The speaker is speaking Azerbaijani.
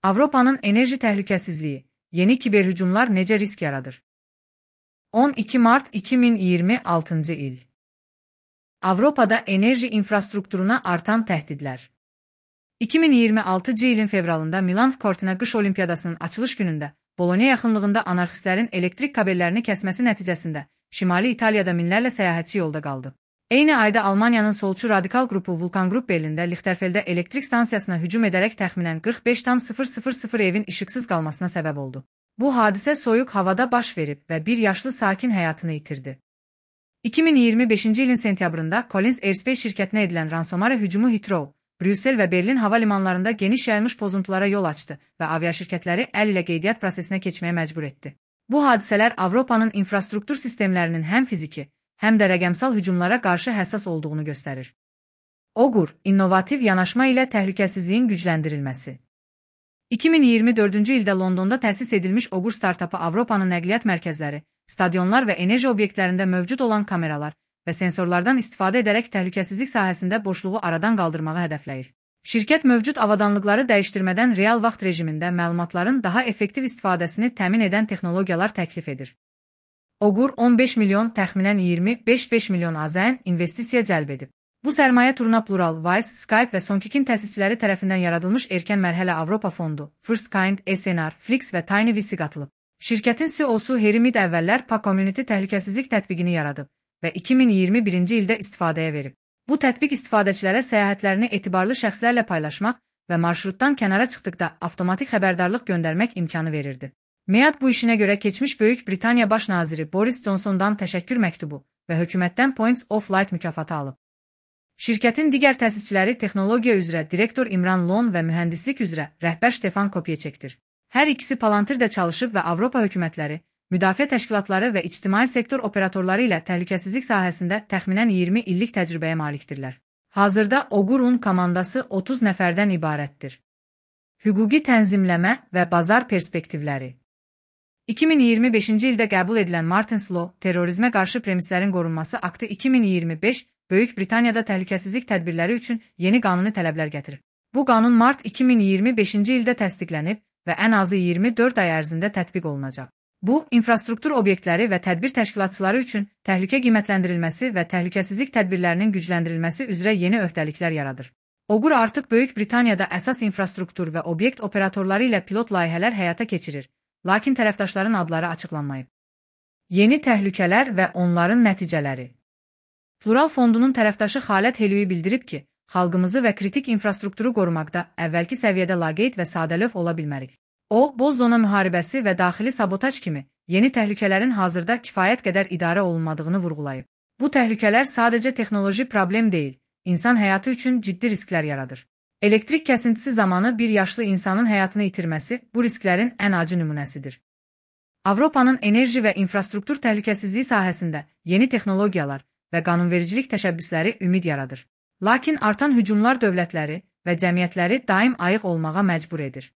Avropanın enerji təhlükəsizliyi, yeni kiberhücumlar necə risk yaradır? 12 mart 2026 il. Avropada enerji infrastrukturuna artan təhdidlər. 2026 ilin fevralında Milan Cortina qış olimpiyadasının açılış günündə Bologna yaxınlığında anarxistlərin elektrik kabellərini kəsməsi nəticəsində Şimali İtaliyada minlərlə səyahətçi yolda qaldı. Eyni ayda Almaniyanın solçu radikal qrupu Vulkan Qrup Berlində Lichterfeldə elektrik stansiyasına hücum edərək təxminən 45,000 evin işıqsız qalmasına səbəb oldu. Bu hadisə soyuq havada baş verib və bir yaşlı sakin həyatını itirdi. 2025 ilin sentyabrında Collins Aerospace şirkətinə edilən ransomware hücumu Heathrow, Brüssel və Berlin hava limanlarında geniş yayılmış pozuntulara yol açdı və aviaşirkətləri əl ilə qeydiyyat prosesinə keçməyə məcbur etdi. Bu hadisələr Avropanın infrastruktur sistemlərinin həm fiziki, həm də rəqəmsal hücumlara qarşı həssas olduğunu göstərir. Ogur, innovativ yanaşma ilə təhlükəsizliyin gücləndirilməsi. 2024-cü ildə Londonda təsis edilmiş Ogur startapı Avropanın nəqliyyat mərkəzləri, stadionlar və enerji obyektlərində mövcud olan kameralar və sensorlardan istifadə edərək təhlükəsizlik sahəsində boşluğu aradan qaldırmağı hədəfləyir. Şirkət mövcud avadanlıqları dəyişdirmədən real vaxt rejimində məlumatların daha effektiv istifadəsini təmin edən texnologiyalar təklif edir. Ogur 15 milyon, təxminən 25 milyon AZN investisiya cəlb edib. Bu sərmayə turuna Plural, Wise, Skype və Sonkikin təsisçiləri tərəfindən yaradılmış erkən mərhələ Avropa Fondu, First Kind, SNR, Flix və TinyVC qatılıb. Şirkətin CEO-su Harry Mead əvvəllər Pa-Community təhlükəsizlik tətbiqini yaradıb və 2021-ci ildə istifadəyə verib. Bu tətbiq istifadəçilərə səyahətlərini etibarlı şəxslərlə paylaşmaq və marşrutdan kənara çıxdıqda avtomatik xəbərdarlıq göndərmək imkanı verirdi. Mead bu işinə görə keçmiş Böyük Britaniya Baş naziri Boris Johnsondan təşəkkür məktubu və hökumətdən Points of Light mükafatı alıb. Şirkətin digər təsisçiləri texnologiya üzrə direktor İmran Lon və mühəndislik üzrə rəhbər Stefan Kopyeçekdir. Hər ikisi Palantirdə çalışıb və Avropa hökumətləri, müdafiə təşkilatları və ictimai sektor operatorları ilə təhlükəsizlik sahəsində təxminən 20 illik təcrübəyə malikdirlər. Hazırda Ogur'un komandası 30 nəfərdən ibarətdir. Hüquqi tənzimləmə və bazar perspektivləri. 2025-ci ildə qəbul edilən Martins Law, terrorizmə qarşı premislərin qorunması aktı 2025 Böyük Britaniyada təhlükəsizlik tədbirləri üçün yeni qanuni tələblər gətirir. Bu qanun mart 2025-ci ildə təsdiqlənib və ən azı 24 ay ərzində tətbiq olunacaq. Bu, infrastruktur obyektləri və tədbir təşkilatçıları üçün təhlükə qiymətləndirilməsi və təhlükəsizlik tədbirlərinin gücləndirilməsi üzrə yeni öhdəliklər yaradır. Ogur artıq Böyük Britaniyada əsas infrastruktur və obyekt operatorları ilə pilot layihələr həyata keçirir, lakin tərəfdaşların adları açıqlanmayıb. Yeni təhlükələr və onların nəticələri. Plural Fondunun tərəfdaşı Xalət Helüyi bildirib ki, xalqımızı və kritik infrastrukturu qorumaqda əvvəlki səviyyədə laqeyd və sadəlöv ola bilmərik. O, boz zona müharibəsi və daxili sabotaj kimi yeni təhlükələrin hazırda kifayət qədər idarə olunmadığını vurğulayıb. Bu təhlükələr sadəcə texnoloji problem deyil, insan həyatı üçün ciddi risklər yaradır. Elektrik kəsintisi zamanı bir yaşlı insanın həyatını itirməsi bu risklərin ən acı nümunəsidir. Avropanın enerji və infrastruktur təhlükəsizliyi sahəsində yeni texnologiyalar və qanunvericilik təşəbbüsləri ümid yaradır. Lakin artan hücumlar dövlətləri və cəmiyyətləri daim ayıq olmağa məcbur edir.